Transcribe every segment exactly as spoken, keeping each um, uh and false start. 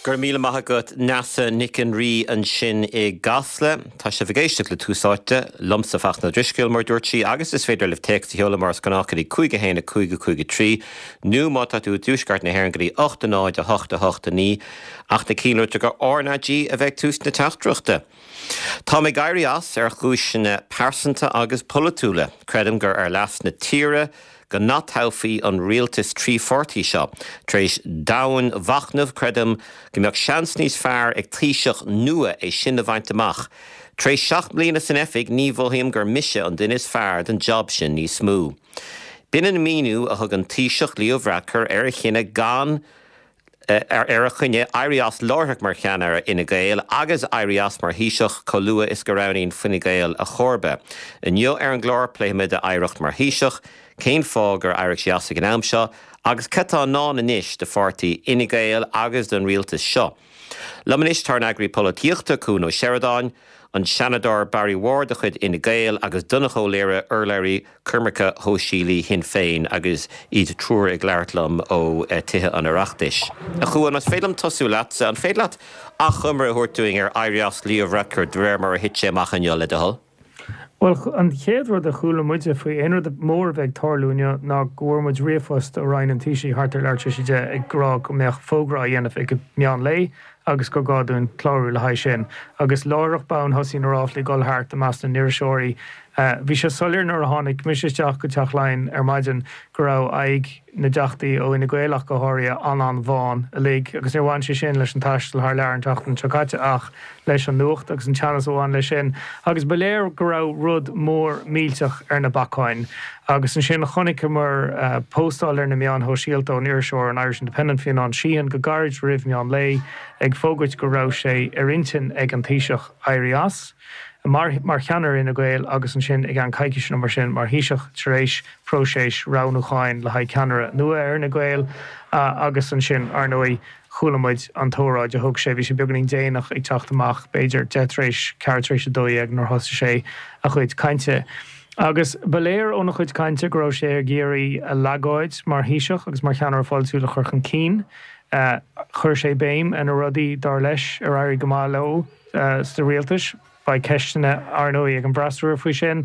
Go raibh míle maith agat Neasa Nic an Rí ansin i gCasla. Tá sibh ag éisteacht le Tús Áite liomsa Fachtna Ó Drisceoil mar dúirt sí agus is féidir libh téacs a sheoladh mar is gnách go dtí cúig a haon a cúig a cúig a trí nó má tá tú i dtuaisceart na hÉireann go dtí ocht a náid a hocht a hocht a naoi ach na cinnte gur RnaG a bheidh tús na teachtaireachta. Tá ag éirí as ar chúiseanna pearsanta agus polaitiúla. Creidim gur ar leas na tíre, go n-atoghfaí an rialtas trí pháirtí seo. Tar éis domhainmhachnaimh creidim go mbeadh seans níos fearr ag Taoiseach nua é sin a bhaint amach. Tar éis seacht mbliana san oifig ní mhothaím gur mise an duine is fearr don job sin níos mó. B'in an míniú a thug an Taoiseach Leo Varadkar ar a chinneadh gan ar ar a chinneadh éirí as láithreach mar cheannaire Fhine Gael agus éirí as mar Thaoiseach chomh luath is go roghnaíonn Fine Gael a chomharba. Inniu ar an gclár pléifimid a oidhreacht mar Thaoiseach, cén fáth gur éirigh sé as ag an am seo, agus cad tá i ndán anois do pháirtí Fhine Gael agus don rialtas seo. Liom anois tá an t-eagraí polaitíochta Cuan Ó Seireadáin, an Seanadóir Barry Ward de chuid Fhine Gael agus Donnchadh Ó Laoghaire urlabhraí coimirce shóisialaí Shinn Féin agus iad triúr ag labhairt liom ó Tithe an Oireachtais. A Chuain más féidir liom tosú leatsa an féidir leat achoimre a thabhairt dúinn ar éirí as Leo Varadkar de réir mar a thit sé amach inniu le do thoil? Well an chéad rud a chuala muide faoi aon rud mór a bheith ag tarlú inniu ná go bhfuair muid ríomhphost ó Roinn an Taoisigh thart ar leathuair tar éis a deich ag rá go mbeadh fógra á dhéanamh ag meán lae agus gur gá dúinn clárú le haghaidh sin. Agus láithreach bonn thosaigh na ráflaí dul thart i measc na n-iriseoirí. Bhí sé soiléir nuair a tháinig mise isteach go Teach Laighean ar maidin go raibh aghaidh na dteachtaí ó Fhine Gael ach go háirithe an-an-bhán uilig agus níor bhain sé sin leis an taisteal thar lear an tseachtain seo caite ach leis an nuacht agus an teannas a bhain leis sin agus ba léir go raibh rud mór millteach ar na bacáin agus ansin chonaiceamar uh, postáil ar na meáin shóisialta ón iriseoir an Irish Independent Fionán Sheehan go gairid roimh meán lae ag fógairt go raibh sé ar intinn ag an Taoiseach éirí as. mar mar cheannaire Fhine Gael agus ansin ag an coicís nó mar sin mar Thaoiseach tar éis próiseas roghnúcháin le haghaidh ceannaire nua ar Fhine Gael uh, agus ansin ar ndóigh chuala muid an t-óráid a thug sé bhí sé beagáinín déanach ag teacht amach b'fhéidir deich tar éis ceathrú tar éis a dó dhéag nuair thosaigh sé a chuid cainte. Agus ba léir óna chuid cainte go raibh sé ag iarraidh a leithéid mar Thaoiseach agus mar cheannaire pholaitiúil a chur chun cinn. Uh, chuir sé béim ar na rudaí dar leis ar éirigh go maith leo uh, sa rialtas Beidh ceisteanna ar ndóigh ag an bhfreasúra faoi sin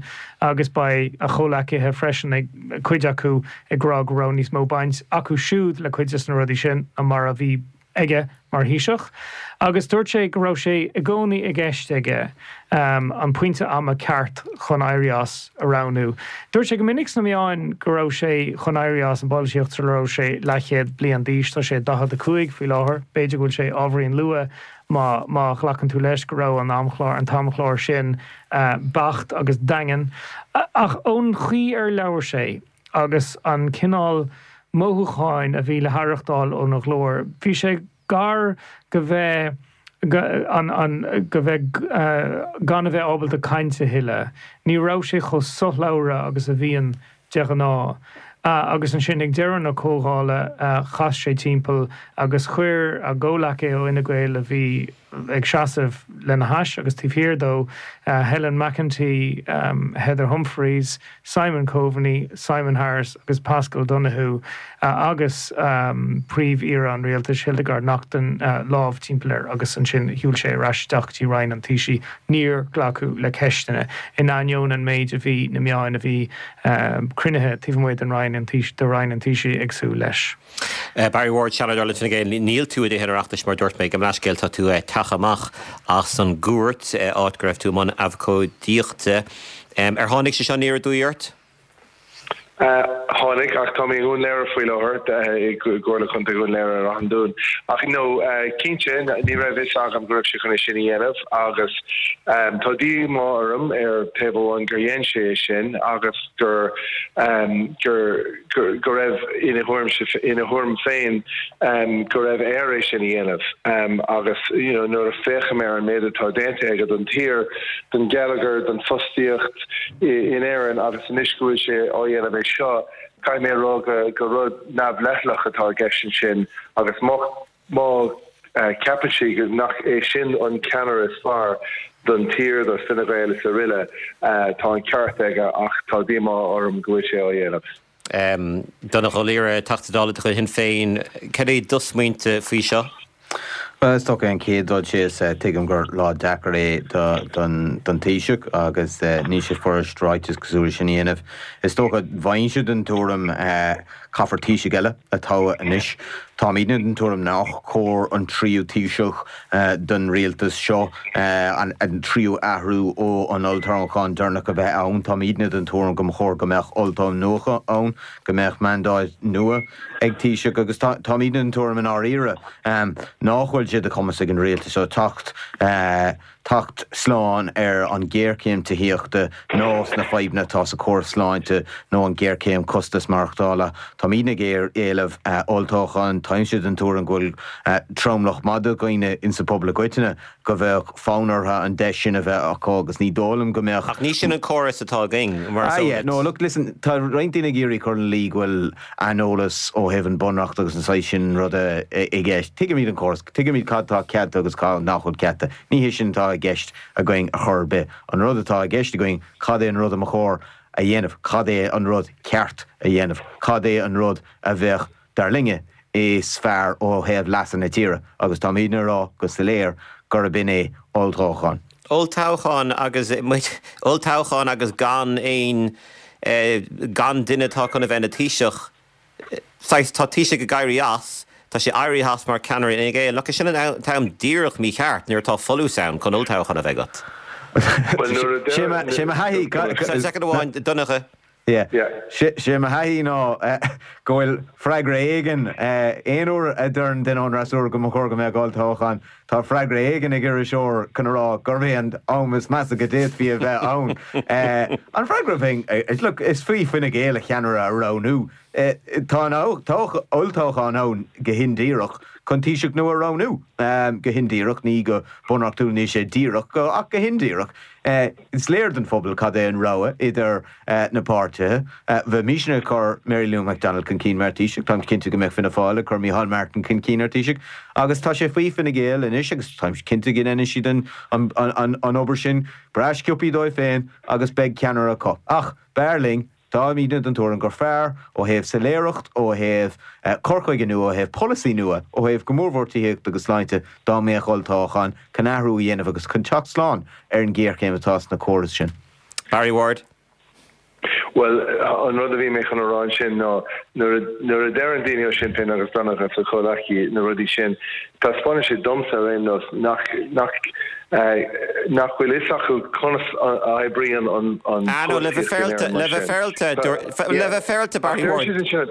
agus beidh a chomhleacaithe freisin ag cuid acu ag rá go raibh níos mó baint acu siúd le cuid de na rudaí sin ná mar a bhí aige mar Thaoiseach. Agus dúirt sé go raibh sé i gcónaí i gceist aige um, an pointe ama ceart chun éirí as a roghnú. Dúirt sé go minic sna meáin go raibh sé chun éirí as an bpolaitíocht sula raibh sé leathchéad bliain d'aois tá sé daichead a cúig faoi láthair, b'fhéidir go bhfuil sé ábhairín luath má má ghlacann tú leis go raibh an amchlár an t-amchlár sin uh, beacht agus daingean. Ach ón chaoi ar labhair sé agus an cineál mothúcháin a bhí le haireachtáil óna ghlór, bhí sé gar go bheith an, an, go bheith uh, gan a bheith ábalta caint a thuilleadh. Ní raibh sé chomh sothlabhra agus a bhíonn de ghnáth. Uh, agus ansin ag deireadh na comhdhála uh, chas sé timpeall agus chuir a chomhleacaithe ó Fhine Gael a bhí ag seasamh lena hais agus taobh thiar dó uh, Helen McEntee, um, Heather Humphreys, Simon Coveney, Simon Harris agus Paschal Donohoe uh, agus um, príomh-aoire an rialtais Hildegarde Naughton uh, lámh timpeall air agus ansin shiúil sé ar ais isteach go dtí Roinn an Taoisigh níor glacadh le ceisteanna in ainneoin an méid a bhí na meáin a bhí um, cruinnithe taobh amuigh den Roinn an de Roinn an Taoisigh ag súil leis. Uh, Barry Ward Seanadóir le Fine Gael níl tú i dTithe an Oireachtais mar dúirt mé go leithscéal tá tú uh, teach amach as an gcúirt uh, áit go raibh tú i mbun abhcóideachta. Um, ar tháinig sé seo aniar aduaidh ort? Tháinig ach tá mé Dún Laoghaire faoi láthair i gComhairle Contae Dhún Laoghaire ar an Dún. Ach no cinnte ní raibh fhios agam go raibh sé chun sin a dhéanamh agus tá díomá orm ar taobh amháin gur dhein sé sin agus gur gur go raibh ina ina thuairim féin go raibh air é sin a dhéanamh agus you know, nuair a féachaim ar an méid atá déanta aige don tír don gheilleagar don fostaíocht in Éirinn agus anois go bhfuil sé á dhéanamh é seo caithfidh mé rá go go rud neamhleithleach atá i gceist sin agus má má ceapann sé nach é sin an ceannaire is fearr don tír do Fine Gael is araile tá an ceart aige ach tá díomá orm go bhfuil sé á dhéanamh. Um, Donnchadh Ó Laoghaire Teachta Dála de chuid Shinn Féin, cad é do smaointe faoi seo? Well, is dócha an chéad dul síos tuigim gur lá deacair é don don Taoiseach agus níl sé furast ráiteas cosúil sin a dhéanamh. Is dócha bheinnse den tuairim caithfear Taoiseach eile a toghadh anois. Táimidne den tuairim nach cóir an tríú Taoiseach don rialtas seo an tríú athrú ó an olltoghchán deireanach a bheith ann. Táimidne den tuairim go mba chóir go mbeadh olltoghchán nua ann, go mbeadh mandáid nua ag Taoiseach agus táimidne den tuairim i ndáiríre nach bhfuil sé de chumas ag an rialtas seo teacht teacht slán ar an ghéarchéim tithíochta nó sna fadhbanna atá sa chóras sláinte nó an ghéarchéim costas maireachtála. Táimidne ag éileamh olltoghchán, táimse den tuairim go bhfuil tromlach maith de dhaoine insa phobal i gcoitinne go bheadh fonn orthu an deis sin a bheith acu agus ní dóigh liom go mbeadh. Ach ní sin an córas atá againn mar Ah yeah, no look listen, tá roinnt daoine ag iarraidh cur ina luí go bhfuil aineolas ó thaobh an bunreacht agus an saghas sin ruda i gceist. Tuigimid an córas, tuigimid cad tá ceadaithe agus cad nach bhfuil ceadaithe. Ní hé sin atá i gceist againn ar chor ar bith. An rud atá i gceist againn, cad é an rud a mba chóir a dhéanamh, cad é an rud ceart a dhéanamh, cad é an rud a bheadh dar linne is fearr ó thaobh leasa na tíre agus táimidne ag rá go soiléir gurb in é olltoghchán. Olltoghchán agus olltoghchán agus gan aon gan duine atá chun a bheith ina Thaoiseach. Saghas tá Taoiseach ag éirí as, tá sé éirithe as mar ceannaire Fhine Gael. Nach é sin an t-am díreach mícheart nuair atá folús ann chun olltoghchán a bheith agat. Sé mo thaithí Soicind amháin Donncha. Sé mo thaithí ná go bhfuil freagra éigin aon uair a deireann duine ón fhreasúra go mba chóir go mbeadh olltoghchán, tá freagra éigin ag iriseoir chun a rá gurb é an am is measa go d'fhéadfaí a bheith ann. An freagra bheinn, look, is faoi Fine Gael a cheannaire a roghnú. Tá an olltoghchán ann go hindíreach chun Taoiseach nua a roghnú. Go hindíreach, ní go bunreachtúil níl sé díreach, ach go hindíreach. Is léir don phobal cad é an rogha idir na páirtithe. Bheimisne ag cur Mary Lou McDonald chun cinn mar Taoiseach, táim cinnte go mbeadh Fianna Fáil ag cur Micheál Martin chun cinn ar Taoiseach. Agus tá sé faoi Fine Gael anois agus táim cinnte go ndéanfaidh siad an an obair sin breá sciobtha dóibh féin agus beidh ceannaire acu. Ach b'fhearr linn Táimidne den tuairim gur fearr ó thaobh soiléireacht, ó thaobh cur chuige nua, ó thaobh polasaí nua, ó thaobh go mórmhór tithíochta agus sláinte dá mbeadh olltoghchán chun athrú a dhéanamh agus chun teacht slán ar an ghéarchéim atá sna córais sin. Barry Ward. Bhuel, an rud a bhí mé chun a rá ansin ná nuair a deireann daoine ó Sinn Féin agus Donncha agus a chomhleacaí na rudaí sin, taispeánann sé domsa ar aon nós nach nach nach bhfuil fhios acu conas a oibríonn an an Ah no, le bheith féaráilte, le bheith féaráilte, le bheith féaráilte Barry Ward.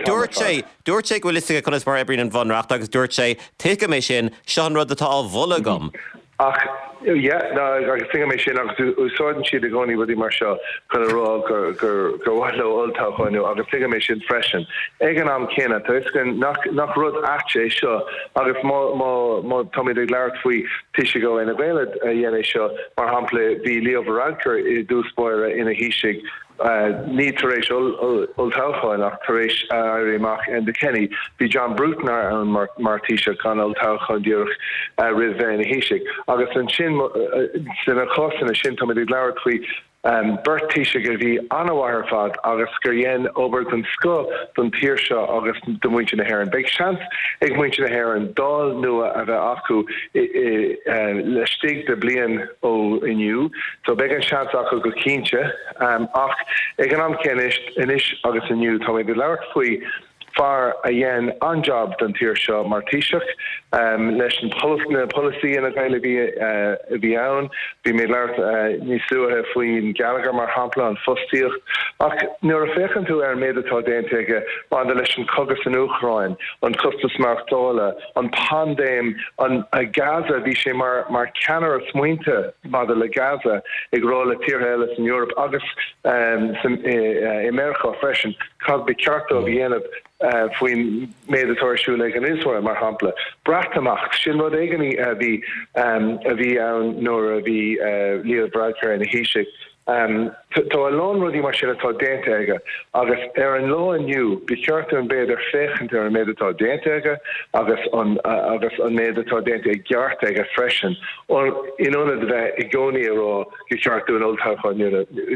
Dúirt sé, dúirt sé go bhfuil fhios aige conas mar a oibríonn an Bhunreacht agus dúirt sé, tuigim é sin, seo an rud atá á mholadh agam. Ach, yeah, no, agus tuigim é sin agus úsáideann siad i gcónaí rudaí mar seo chun a rá gur gur gur mhaith leo olltoghchán nua agus tuigim é sin freisin. Ag an am céanna, tá fhios againn nach nach rud ait é seo agus má má má táimid ag labhairt faoi Taoisigh ó Fhine Gael a dhein é seo, mar shampla, bhí Leo Varadkar i dtús báire ina Thaoisigh, ní tar éis olltoghcháin ach tar éis éirí amach Enda Kenny. Bhí John Bruton ann mar Thaoiseach gan olltoghchán díreach roimh bheith ina Thaoiseach. Agus ansin sna cásanna sin táimid ag labhairt faoi beirt Taoiseach a bhí an-mhaith ar fad agus gur dhein obair den scoth don tír seo agus do mhuintir na hÉireann. Beidh seans ag muintir na hÉireann Dáil nua a bheith acu laistigh de bliain ó inniu so beidh an seans acu go cinnte. Ach ag an am céanna anois agus inniu táimid ag labhairt faoi fear a dhein an-jab don tír seo mar Taoiseach leis na polasaí Fhine Gael a bhí a bhí ann. Bhí mé ag labhairt níos luaithe faoin geilleagar mar shampla, an fostaíocht. Ach nuair a féachann tú ar an méid atá déanta aige maidir leis an cogadh san Úcráin, an costas maireachtála, an paindéim, an Gaza, bhí sé mar mar ceannaire smaointe maidir le Gaza, ag rá le tíortha eile san Eoraip agus i Meiriceá freisin cad ba cheart dóibh a dhéanamh faoin méid atá ar siúl ag an Iosrael, mar shampla. Breatimeacht, sin rud éigin a bhí a bhí ann nuair a bhí Leo Varadkar ina Thaoiseach. Tá a lán rudaí mar sin atá déanta aige agus ar an lá inniu ba cheart dúinn b'fhéidir féachaint ar an méid atá déanta aige agus an agus an méid atá déanta i gceart aige freisin in ionad a bheith i gcónaí ag rá gur cheart dúinn olltoghchán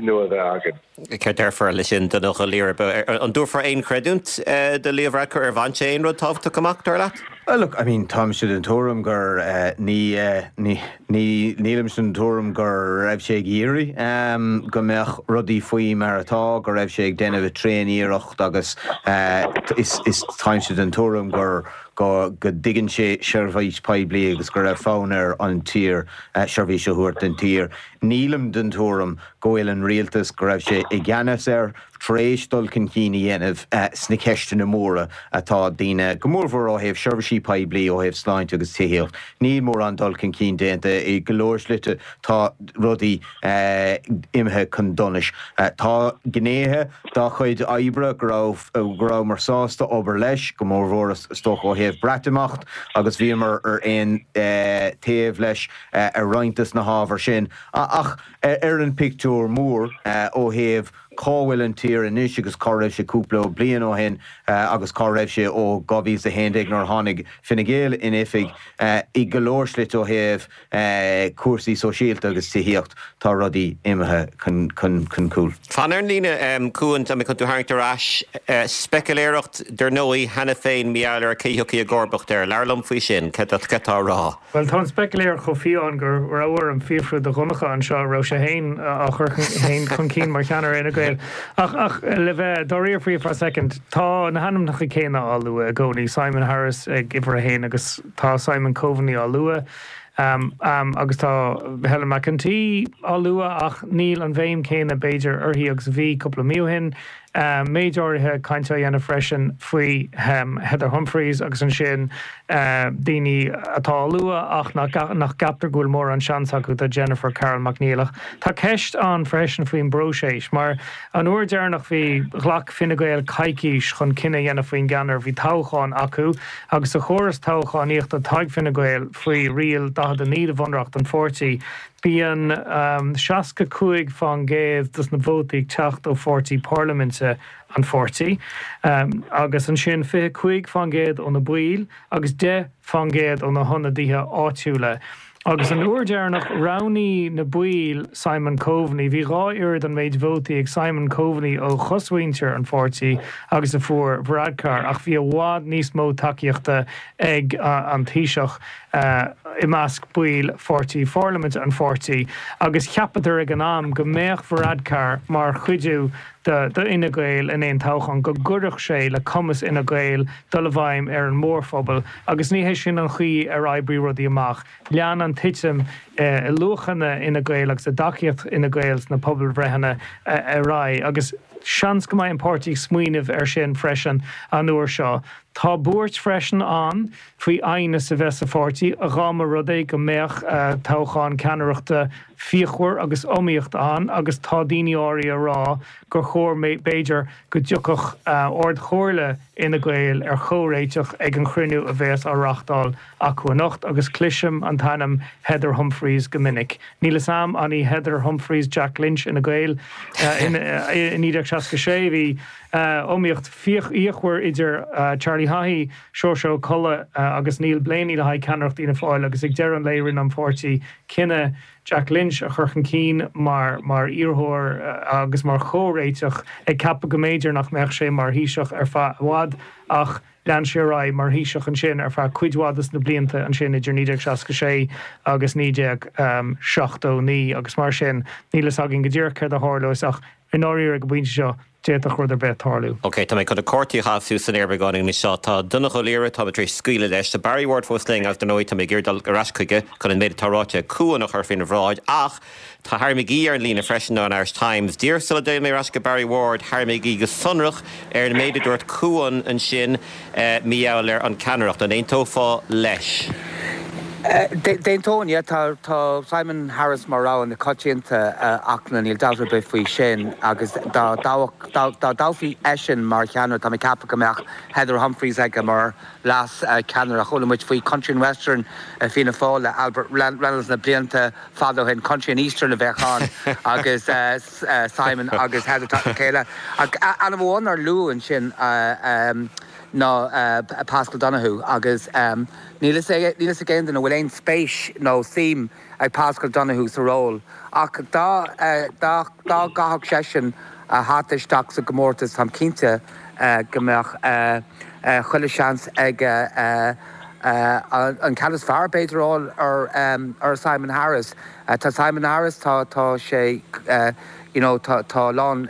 nua a bheith againn. Céard déarfá leis sin, Donncha Ó Laoghaire? An dtabharfá aon chreidiúint do Leo Varadkar ar bhain sé aon rud tábhachtach amach, dar leat? Well, look, I mean, táimse den tuairim gur uh, ní, uh, ní, ní nílimse den tuairim go raibh sé ag iarraidh um, go mbeadh rudaí faoi mar atá, go raibh sé ag déanamh tréaniarracht agus uh, is, is táimse den tuairim gur go go dtuigeann sé seirbhís poiblí agus go raibh fonn air an tír uh, seirbhís a thabhairt don tír. Nílim den tuairim go bhfuil an rialtas go raibh sé i gceannas air tar éis dul chun cinn a dhéanamh uh, sna ceisteanna móra atá daoine go mórmhór ó thaobh seirbhísí poiblí ó thaobh sláinte agus tithíocht. Níl mórán dul chun cinn déanta i go leor slite tá rudaí uh, imithe chun donais. Uh, tá gnéithe dá chuid oibre go raibh go rabhamar sásta obair leis go mórmhór is dócha ó thaobh Breatimeacht agus bhíomar ar aon uh, taobh leis uh, ar roinnt de na hábhair sin. Ach ar an pictiúr mór uh, ó thaobh cá bhfuil an tír anois agus cá raibh sé cúpla bliain ó shin uh, agus cá raibh sé ó dhá mhíle a haon déag nuair a tháinig Fine Gael in oifig uh, i go leor slite ó thaobh uh, cúrsaí sóisialta agus tithíocht tá rudaí imithe chun, chun, chun cúil. Fan ar an líne um, Cuan tá mé chun tú a tharraingt ar ais uh, speiciléireacht dar ndóigh cheana féin mar gheall ar cé thiocfaidh i gcomharbacht air labhair liom faoi sin cad tá á rá. Well tá an speiciléireacht chomh fiáin gur raibh orm fiafraí de Dhonncha anseo raibh sé féin á chur féin chun cinn mar cheannaire Fhine Gael. Ach ach le bheith dáiríre faoi for a second tá na hainmneacha céanna á lua i gcónaí Simon Harris ag uimhir a haon agus tá Simon Coveney á lua. Um, um, agus tá Helen McEntee á lua ach níl an bhéim céanna b'fhéidir uirthi agus bhí cúpla mí ó shin. Um, méid áirithe cainte á dhéanamh freisin faoi um, Heather Humphreys agus ansin uh, daoine atá á lua ach nach nach gceaptar go bhfuil mórán seans acu tá Jennifer Carroll MacNeill. Tá ceist ann freisin faoin bpróiseas, mar an uair dheireanach bhí ghlac Fine Gael coicís chun cinneadh a dhéanamh faoin gceannaire bhí toghchán acu agus sa chóras toghchánaíochta atá ag Fine Gael faoi riail daichead a naoi de bhunreacht an pháirtí. Bíonn um, seasca cúig faoin gcéad dos na vótaí ag teacht ó pháirtí parlaiminte an pháirtí. Um, agus ansin fiche cúig faoin gcéad ó na baill agus deich faoin gcéad ó na hionadaithe áitiúla. Agus an uair dheireanach roghnaigh na baill Simon Coveney, bhí dhá oiread an méid vótaí ag Simon Coveney ó chosmhuintir an pháirtí agus a fuair Varadkar, ach bhí i bhfad níos mó tacaíochta ag uh, an Taoiseach uh, i measc baill pháirtí pharlaiminte an pháirtí, agus cheapadar ag an am go mbeadh Varadkar mar chuidiú do Fhine Gael in aon toghchán go gcuirfeadh sé le cumas Fhine Gael dul i bhfeidhm ar an mórphobal, agus ní hé sin an chaoi ar oibrigh rudaí amach. Lean an titim i luachanna Fhine Gael agus i dtacaíocht Fhine Gael sna pobalbhreitheanna ar aghaidh, agus seans go mbeidh an páirtí ag smaoineamh ar sin freisin an uair seo. Tá buairt freisin ann faoi aighneas a bheith sa pháirtí dá mba rud é go mbeadh toghchán ceannaireachta fíochmhar agus iomaíocht ann agus tá daoine áirithe ag rá gur chóir b'fhéidir go dtiocfadh Ard-Chomhairle Fhine Gael ar chomhréiteach ag an chruinniú a bheas á reáchtáil acu anocht agus cloisim an t-ainm Heather Humphreys go minic. Níl a fhios agam an í Heather Humphreys Jack Lynch Fhine Gael i naoi déag seasca sé bhí iomaíocht fíochmhar idir Charlie Haughey, Seoirse Ó Colla agus Neil Blaney le haghaidh ceannaireacht Fhianna Fáil agus ag deireadh an lae rinne an pháirtí cinneadh Jack Lynch a chur chun cinn mar mar iarrthóir agus mar chomhréiteach ag ceapadh go mb'fhéidir nach mbeadh sé mar Thaoiseach ar feadh i bhfad ach lean sé ar aghaidh mar Thaoiseach ansin ar feadh cuid mhaith des na blianta ansin idir naoi déag seasca sé agus naoi déag seachtó naoi agus mar sin níl a fhios againn go díreach céard a tharlós ach i ndáiríre ag an bpointe seo d'fhéadfadh rud ar bith tarlú. Ok, tá mé chun na cártaí a chaitheamh suas san aer beagáinín anseo. Tá Donncha Ó Laoghaire, tá mé tar éis scaoileadh leis. Tá Barry Ward fós linn agus dar ndóigh tá mé ag iarraidh dul ar ais chuige chun an méid atá ráite ag Cuan a chur faoina bhráid ach tá Harry McGee ar an líne freisin ón Irish Times. Díreach sula dtéann mé ar ais go Barry Ward, Harry McGee go sonrach ar an méid a dúirt Cuan ansin eh, mar gheall ar an ceannaireacht. An aontófá leis? D'aontóinn, yeah, tá tá Simon Harris mar rogha na coitianta ach níl dabht ar bith faoi sin agus dá dá dtoghfaí eisean mar cheannaire tá mé ag ceapadh go mbeadh Heather Humphreys aige mar leas ceannaire. Chuala muid faoi Country and Western Fianna Fáil le Albert Reynolds na blianta fada ó shin Country and Eastern a bheadh ann agus Simon agus Heather chéile. Ainm amháin nár luadh ansin ná Paschal Donohoe agus níl a fhios ag aon duine an bhfuil aon spéis nó suim ag Paschal Donohoe sa ról ach dá dá dá gcaithfeadh seisean a hata isteach sa gcomórtas táim cinnte go mbeadh chuile seans ag an ceann is fearr b'fhéidir a fháil ar ar Simon Harris. Tá Simon Harris tá tá sé you know tá tá a lán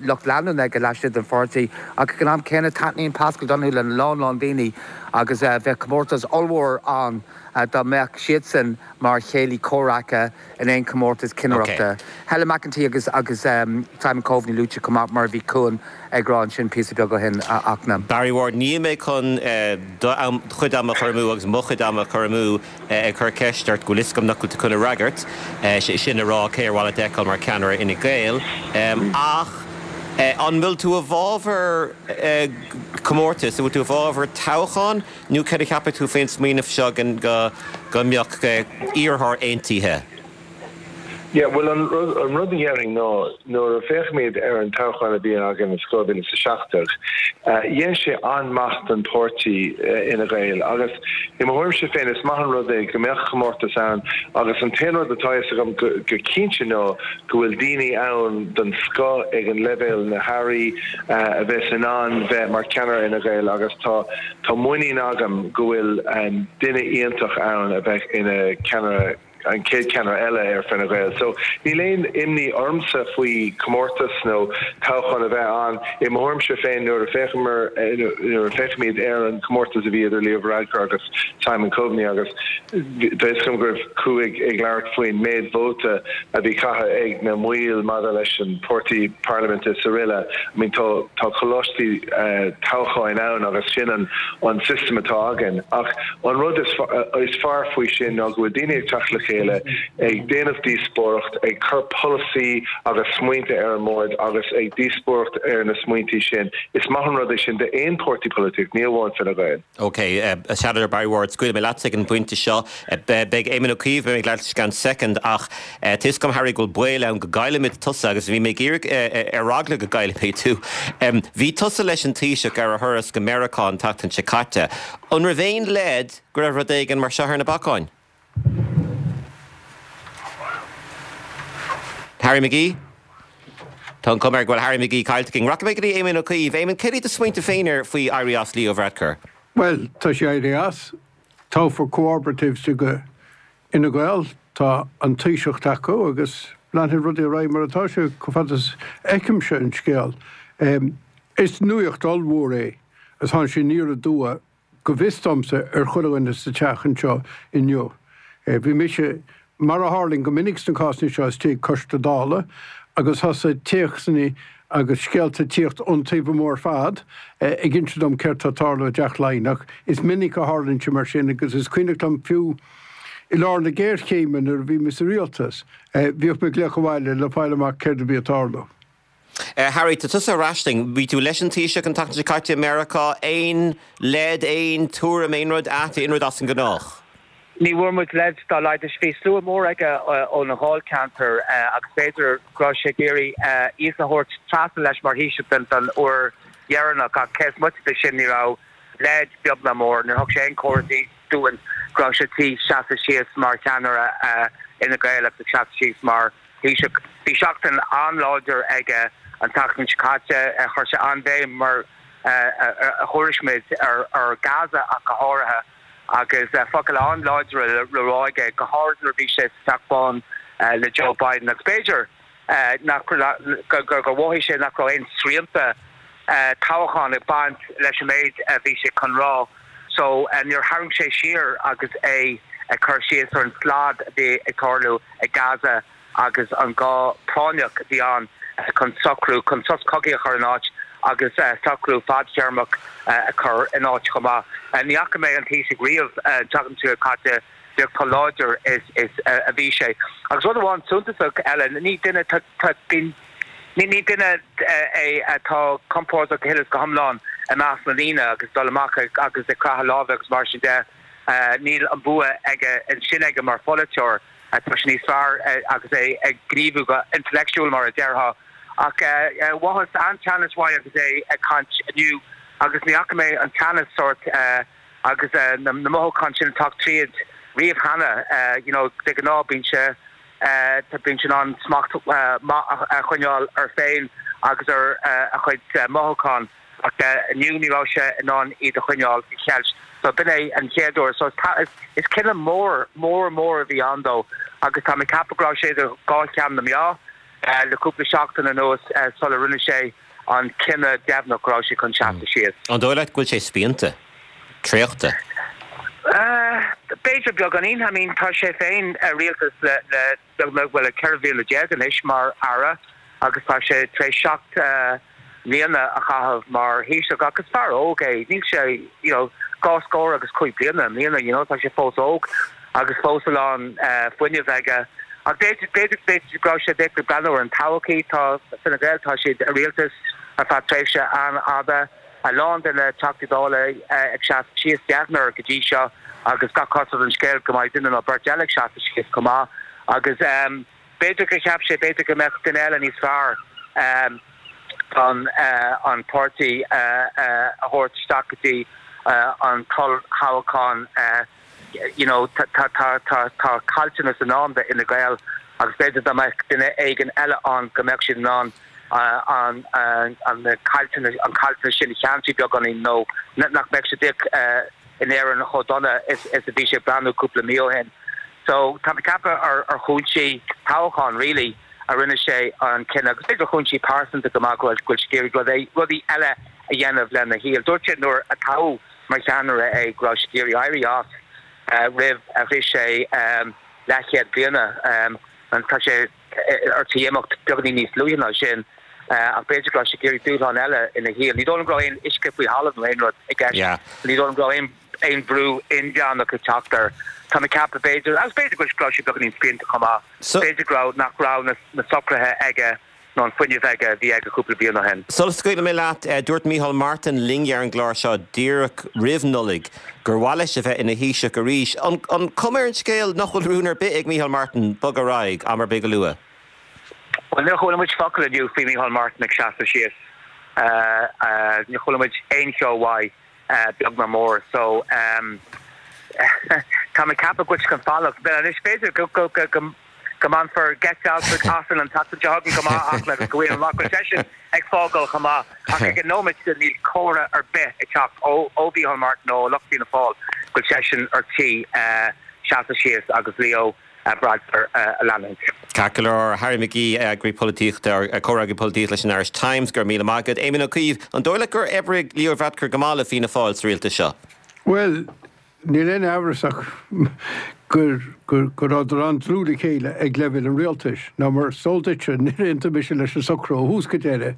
lucht leanúna aige laistigh den pháirtí ach ag an am céanna taitníonn Paschal Donohoe lena lán lán daoine agus bheadh comórtas ollmhór ann dá mbeadh siadsan mar chéilí comhraic in aon chomórtas cinnireachta. Helen McEntee agus agus Simon Coveney luaite chomh maith mar a bhí Cuan ag rá ansin píosa beag ó shin a Fhachtna. Barry Ward, Níl mé chun do chuid ama a chur amú agus mo chuid ama a chur amú ag cur ceist ort go bhfuil fhios agam nach bhfuil tú chun a fhreagairt, sé sin a rá cé ar mhaith leat a fheiceáil mar cheannaire Fhine Gael. Ach an bhfuil tú i bhfabhar comórtas, an bhfuil tú i bhfabhar toghchán nó cad a cheapann tú faoin smaoineamh seo go mbeadh iarrthóir aontaithe? Yeah, bhuel an rud an rud a dhéarfainn ná nuair a féachaimid ar an toghchán a bhí againn in dhá mhíle is a seacht déag, dhein sé an-maith don pháirtí Fhine Gael agus i mo thuairimse féin is maith an rud é go mbeadh comórtas ann agus an t-aon rud atá fhios agam go go cinnte ná go bhfuil daoine ann den scoth ag an leibhéal na hairí a bheas in ann bheith mar cheannaire Fhine Gael agus tá tá muinín agam go bhfuil duine iontach ann a bheidh ina ceannaire an chéad cheannaire eile ar Fine Gael. So níl aon imní ormsa faoi comórtas nó toghchán a bheith ann. I mo thuairimse féin nuair a féachamar nuair a féachaimid ar an comórtas a bhí idir Leo Varadkar agus Simon Coveney agus tá fhios agam go raibh Cú ag ag labhairt faoin méid vóta a bhí caithe ag na mbaill maidir leis an páirtí parlaiminte is araile. I mean tá tá coláistí toghcháin ann agus sin an an system atá againn. Ach an rud is is fearr faoi sin ná go bhfuil daoine ag teacht le chéile, ag déanamh díospóireacht, ag cur polasaí agus smaointe ar an mbord agus ag díospóireacht ar na smaointí sin. Is maith an rud é sin d'aon pháirtí polaitíocht, ní amháin Fine Gael. OK, a Sheanadóir Barry Ward, scaoilfidh mé leatsa ag an bpointe seo. Beidh Éamon Ó Cuív, beidh mé ag labhairt leis i gceann soicind, ach tá fhios agam, Harry, go bhfuil baol ann go gcaillfimid tusa agus bhí mé ag iarraidh ar eagla go gcaillfimid tú. Bhí tusa leis an Taoiseach ar a thuras go Meiriceá an tseachtain seo caite. An raibh aon leid go raibh rud éigin mar seo ar na bacáin? Harry McGee? Tá an chuma air go bhfuil Harry McGee caillte againn. Rachaidh mé go dtí Éamon Ó Cuív. Éamon, céard iad do smaointe féin ar faoi éirí as Leo Varadkar? Bhuel, tá sé éirithe as. Toghfar cooperatives ag Fhine Gael, tá an Taoiseach acu agus leanfaidh rudaí ar aghaidh mar atá sé chomh fada is a fheicimse an scéal. Is nuacht ollmhór é agus tháinig sé aniar aduaidh, go bhfios domsa, ar chuile dhuine sa teach anseo inniu. Bhí mise, mar a tharlaíonn go minic sna cásanna seo, istigh ag Coiste Dála agus thosaigh téacsanna agus scéalta ag tíocht ón taobh amuigh ar fad ag inse dom céard tá ag tarlú i dTeach Laighean. Is minic a tharlaíonn sé mar sin agus is cuimhneach liom fiú i lár na géarchéime nuair a bhí mé sa rialtas, bhíodh mé ag glaoch abhaile le fáil amach céard a bhí ag tarlú. Harry, tá tusa ar ais linn. Bhí tú leis an Taoiseach an tseachtain seo caite i Meiriceá. Aon leid, aon tuairim, aon rud ait, aon rud as an ngnách? Ní bhfuair muid leid dá laghad. Bhí slua mór aige óna dháilcheantar agus b'fhéidir go raibh sé ag iarraidh iad a thabhairt trasna leis mar Thaoiseach don uair dheireanach ach cé is moite de sin ní raibh leid beag ná mór. Níor thug sé aon chomhartha dúinn go raibh sé tí seasamh síos mar cheannaire Fhine Gael agus ag seasamh síos mar Thaoiseach. Bhí seachtain an-láidir aige an tseachtain seo caite. Chuir sé an-bhéim, mar a thuairisc muid, ar Gaza ach go háirithe agus focail an-láidre le rá aige, go háirithe nuair a bhí sé sa Teach Bán le Joe Biden. Agus b'fhéidir nach gur mhothaigh sé nach raibh aon srianta toghcháin ag baint leis an méid a bhí sé chun rá so níor tharraing sé siar agus é ag cur síos ar an slad a bhí ag tarlú ag Gaza agus an gá práinneach a bhí ann chun socrú, chun sos cogaidh a chur in áit agus socrú fadtéarmach a chur in áit chomh maith. Ní fhaca mé an Taoiseach riamh an tseachtain seo caite féach chomh láidir is a bhí sé. Agus rud amháin suntasach eile, ní duine, ní duine é atá compordach go huile is go hiomlán i measc na ndaoine agus dul amach agus ag croitheadh láimhe agus mar sin de. Níl an bua aige ansin aige mar pholaiteoir. Tá sé níos fearr agus é ag gníomhú go intleachtúil, mar a déarfá. Ach mhothaíos an-teannas uaidh agus é ag caint inniu agus ní fhaca mé an teannas sórt agus na mothúcháin sin ag teacht tríd riamh cheana. You know, de ghnáth bíonn sé, bíonn sé in ann smacht maith a choinneáil air féin agus ar a chuid mothúchán. Ach inniu ní raibh sé in ann iad a choinneáil faoi cheilt. So b'in é an chéad uair. So is cinneadh mór, mór, mór a bhí ann dó agus tá mé ag ceapadh go raibh sé idir dhá cheann na meá le cúpla seachtain anuas sula rinne sé an cinneadh deimhneach go raibh sé chun seasamh síos. An dóigh leat go bhfuil sé spíonta? Traochta? B'fhéidir beagáinín. I mean tá sé féin i rialtas le le beagnach, bhuel le ceithre bhliana déag anois mar Aire agus tá sé tar éis seacht mbliana a chaitheamh mar Thaoiseach ach is fear óg é, níl sé you know dhá scór agus cúig bliana i mbliana, you know tá sé fós óg agus fós a lán fuinnimh aige. Ach b'fhéidir, b'fhéidir, b'fhéidir go raibh sé ag breathnú ar an todhchaí, tá Fine Gael, tá siad i rialtas ar feadh tréimhse an-fhada, a lán de na Teachtaí Dála ag seasamh síos, deichniúr go dtí seo agus gach cosúlacht ar an scéal go mbeidh duine nó beirt eile ag seasamh síos chomh maith agus b'fhéidir gur cheap sé b'fhéidir go mbeadh duine eile níos fearr chun an páirtí a thabhairt isteach go dtí an t-olltoghchán. You know tá tá caillteanas i ndán d'Fhine Gael agus b'fhéidir dá mbeadh duine éigin eile ann go mbeadh siad in ann an an caillteanas an caillteanas sin a cheansú beagáinín nó nach mbeadh sé díreach in Éirinn chomh dona is is a bhí sé ag breathnú cúpla mí ó shin. So tá mé ag ceapadh ar ar chúinsí toghcháin really a rinne sé an cinneadh agus b'fhéidir chúinsí pearsanta go maith go bhfuil go bhfuil sé ag iarraidh rudaí rudaí eile a dhéanamh lena shaol. Dúirt sé nuair a toghadh mar cheannaire é go raibh sé ag iarraidh éirí as roimh a shroich sé leathchéad bliana. Tá sé ar tí imeacht beagáinín níos luaithe ná sin ach b'fhéidir go raibh sé ag iarraidh dúshlán eile ina shaol. Ní dóigh liom go raibh aon uisce faoi thalamh nó aon rud i gceist. Ní dóigh liom go raibh aon aon bhrú inmheánach ag teacht air. Tá mé ag ceapadh b'fhéidir, agus b'fhéidir go raibh sé beagáinín spíonta chomh maith, b'fhéidir go raibh nach raibh na socruithe aige nó an fuinneamh aige a bhí aige cúpla bliain ó shin. Sula scaoilfidh mé leat, dúirt Micheál Martin linn ar an gclár seo díreach roimh Nollaig gur mhaith leis a bheith ina Thaoiseach arís. An cuma ar an scéal nach bhfuil rún ar bith ag Micheál Martin bogadh ar aghaidh am ar bith go luath? Bhuel, níor chuala muid focal inniu faoi Micheál Martin ag seasamh síos. Níor chuala muid aon cheo uaidh, beag ná mór. So, tá mé ag ceapadh go bhfuil sé chun fanacht. Anois, b'fhéidir go go mbainfear geit asainn an tseachtain seo chugainn go maith ach agus go bhfuil amach go seisean ag fágáil chomh maith ach ag an nóiméad seo níl comhartha ar bith ag teacht ó ó Mhícheál Martin nó ó lucht Fianna Fáil go bhfuil seisean ar tí seasamh síos agus Leo Varadkar a leanúint. Ceart go leor, Harry McGee, Eagraí Polaitíochta, Comhfhreagraí Polaitíochta leis an Irish Times, go raibh míle maith agat. Éamon Ó Cuív, an dóigh leat gur oibrigh Leo Varadkar go maith le Fianna Fáil sa rialtas seo? Bhuel, Níl aon amhras ach go rabhadar an-dlúth le chéile ag leibhéal an rialtais. Nó mar is eol duitse, níor aontaigh mise leis an socrú ó thús go deireadh.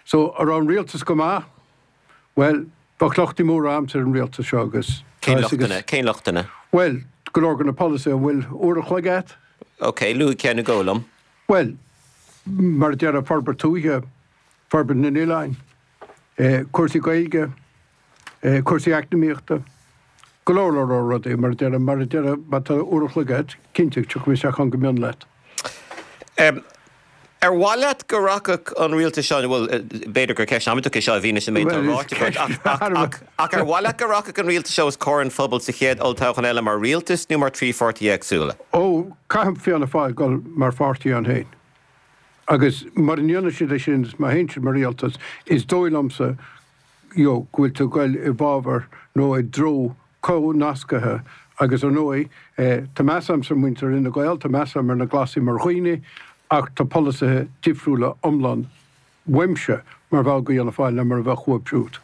So, an raibh an rialtas go maith? Bhuel, bheadh lochtaí móra a'msa ar an rialtas seo agus. Cén lochtanna? Cén lochtanna? Bhuel, go leor de na polasaithe, an bhfuil uair a chloig a'd? Ok, luaigh ceann nó dhó liom. Bhuel, mar a déarfá, forbairt tuaithe, forbairt na n-oileáin, cúrsaí Gaeilge, cúrsaí eacnamaíochta, go leor leor leor rudaí, mar a déarfá, mar a déarfá, má tá uair a chloig agat, cinnte, tiocfaidh mé isteach ann go mion leat. Ar mhaith leat go rachadh an rialtas seo, bhuel, b'fhéidir gur ceist amaideach é seo i bhfianaise an méid atá ráite agat, ach, ach, ach ar mhaith leat go rachadh an rialtas seo os comhair an phobail sa chéad olltoghchán eile mar rialtas nó mar trí pháirtí éagsúla? Ó, caithfidh Fianna Fáil dul mar pháirtí ann féin. Agus mura ndéanann siad é sin, is má théann siad mar rialtas, is dóigh liomsa you know, go bhfuil tú ag goil i bhfabhar nó i dtreo comhnascaithe agus ar ndóigh, tá meas a'msa ar mhuintir Fhine Gael, tá meas a'm ar na Glasaigh mar dhaoine ach tá polasaithe difriúla iomlán uaimse mar bhall de Fhianna Fáil ná mar a bheadh uaibh siúd.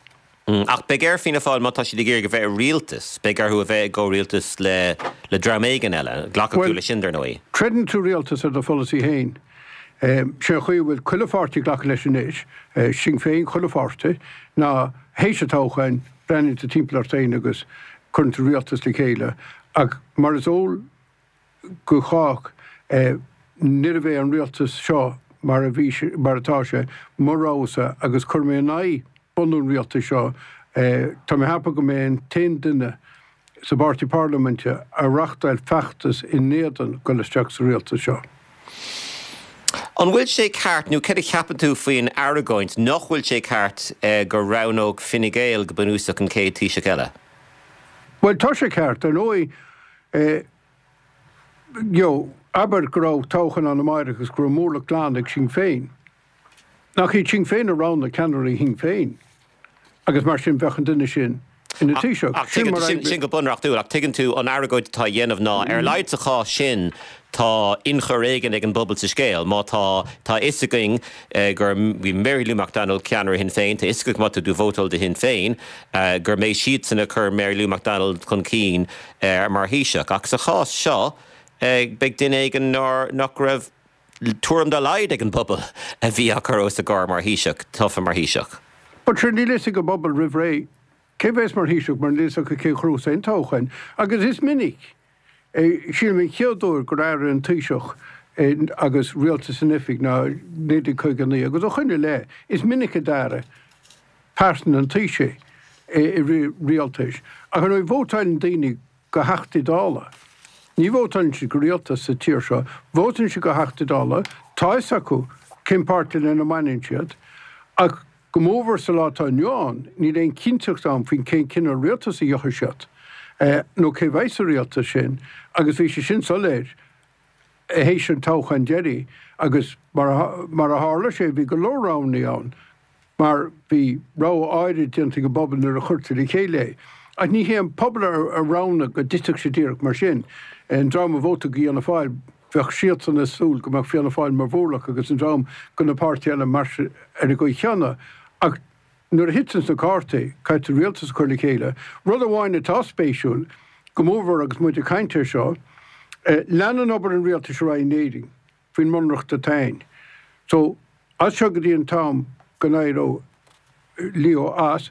Ach beidh ar Fianna Fáil, má tá siad ag iarraidh a bheith i rialtas, beidh orthu a bheith i gcomhrialtas le le dream éigin eile. Glacfaidh tú leis sin, dar ndóigh. Troideann tú rialtas ar do pholasaí féin. Sé an chaoi a bhfuil chuile pháirtí ag glacadh leis anois, Sinn Féin, chuile pháirtí, ná théis an toghcháin, breathnaíonn tú timpeall ort féin agus cuireann tú rialtas le chéile. Ach mar is eol go chách, níorbh é an rialtas seo mar a bhí sé, mar atá sé, mo rogha-sa agus chuir mé in aghaidh bunú an rialtais seo. Tá mé ag ceapadh go mba mé an t-aon duine sa bpáirtí parlaiminte a reachtáil feachtas in éadan dul isteach sa rialtas seo. An bhfuil sé ceart, nó céard a cheapann tú faoin argóint nach bhfuil sé ceart go roghnódh Fine Gael go bunúsach an chéad Taoiseach eile? Bhuel, tá sé ceart, ar ndóigh. You know, abair go raibh toghchán ann amáireach agus go raibh móramh glan ag Sinn Féin. Nach iad Sinn Féin a roghnaigh ceannairí Shinn Féin? Agus mar sin bheadh an duine sin ina Thaoiseach. Ach sin mar a sin go bunreachtúil, ach tuigeann tú an argóint atá á dhéanamh ná ar a laghad sa chás sin tá ionchur éigin ag an bpobal sa scéal. Má tá tá fhios againn gur bhí Mary Lou McDonald ceannaire Shinn Féin, tá fhios againn má tá tú vótáil do Shinn Féin gur mbeidh siadsan ag cur Mary Lou McDonald chun cinn mar Thaoiseach. Ach sa chás seo beidh duine éigin nár nach raibh tuairim dá laghad ag an bpobal a bhí á chur os a gcomhair mar Thaoiseach, tofa mar Thaoiseach. But sure níl fhios ag an bpobal roimh ré cé bheas mar Thaoiseach mar níl fhios acu cé ghnóthós aon toghchán. Agus is minic, sílim an chéad uair gur athraigh an Taoiseach agus rialtas in oifig ná naoi déag caoga a naoi agus ó shoin i leith is minic a d'athraigh pearsan an Taoisigh i rith rialtais. Ach ar ndóigh vótáileann daoine do Theachtaí Dála. Ní vótáileann siad do rialtas sa tír seo, vótáileann siad do Theachtaí Dála, tá fhios acu cén páirtí lena mbaineann siad, ach go mórmhór sa lá atá inniu ann, níl aon chinnteacht ann faoin cén cineál rialtas a gheobhaidh siad, nó cé bheidh sa rialtas sin, agus bhí sé sin soiléir théis an toghcháin deiridh, agus mar a tharla sé, bhí go leor roghanna ann. mar bhí rogha áirid déanta ag an bpobal nuair a chuirtear le chéile é. Ach ní hé an pobal a roghnaigh go dtitfeadh sé díreach mar sin. An dream a vótaigh do Fhianna Fáil, bheadh siadsan ag súil go mbeadh Fianna Fáil mar mhórlach agus an dream do na páirtithe eile mar ar an gcaoi chéanna. Ach nuair a thiteanns na cártaí, caithfidh tú rialtas a chur le chéile. Rud amháin atá spéisiúil, go mórmhór agus muid ag caint air seo, leanann obair an rialtais ar aghaidh in Éirinn faoin mbunreacht atá ann. So, as seo go dtí an t-am go n-éireoidh Leo as,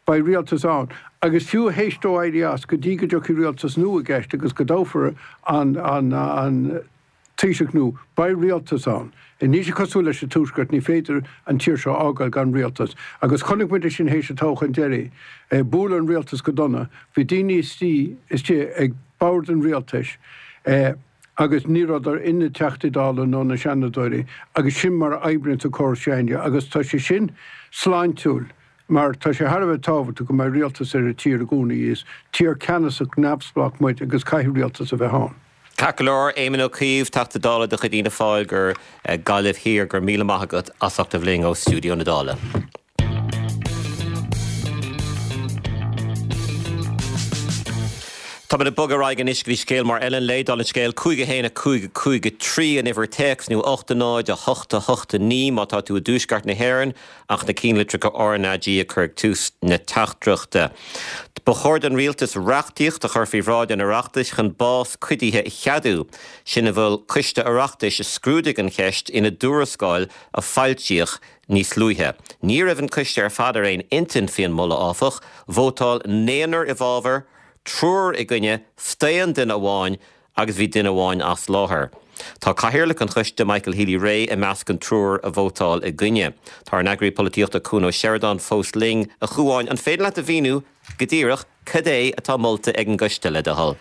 beidh rialtas ann. Agus fiú théis dó éirí as, go dtí go dtiocfaidh rialtas nua i gceist agus go dtoghfar an an Taoiseach nua, beidh rialtas ann. Níl sé cosúil leis an Tuaisceart, ní féidir an tír seo a fhágáil gan rialtas. Agus chonaic muid é sin théis an toghcháin deiridh. Buaileadh an rialtas go dona. Bhí daoine istigh istigh ag bord an rialtais. Agus ní rabhadar ina dTeachtaí Dála nó ina Seanadóirí, agus sin mar a oibríonns an córas s'againne, agus tá sé sin sláintiúil, mar tá sé thar a bheith tábhachtach go mbeidh rialtas ar an tír i gcónaí. Is tír ceannasach neamhspleách muid agus caithfidh rialtas a bheith ann. Ceart go leor, Éamon Ó Cuív, Teachta Dála de chuid Fhianna Fáil do Ghaillimh Thiar, go raibh míle maith agat as ucht a bheith linn ó stiúideo na Dála. Táimid ag bogadh ar aghaidh anois go dtí scéal mór eile an lae, dála an scéil, cúig a haon a cúig a cúig a trí an uimhir téacs nó ocht a náid a hocht a hocht a naoi má tá tú i dtuaisceart na hÉireann ach na ceannlitreacha RnaG a chur ag tús na teachtaireachta. Ba chóir don rialtas reachtaíocht a chur faoi bhráid an Oireachtais chun bás cuidithe a cheadú. Sin a mhol Coiste Oireachtais a scrúdaigh an cheist ina dtuarascáil a foilsíodh níos luaithe. Ní raibh an coiste ar fad ar aon intinn faoin moladh, áfach. Vótáil naonúr i bhfabhar, triúr i gcoinne, staon duine amháin agus bhí duine amháin as láthair. Tá cathaoirleach an choiste, Michael Healy-Rae, i measc an triúir a vótáil i gcoinne. Tá ár n-eagraí polaitíochta Cuan Ó Seireadáin fós linn. A Chuáin, an féidir leat a mhíniú go díreach cad é atá molta ag an gcoiste, le do thoil?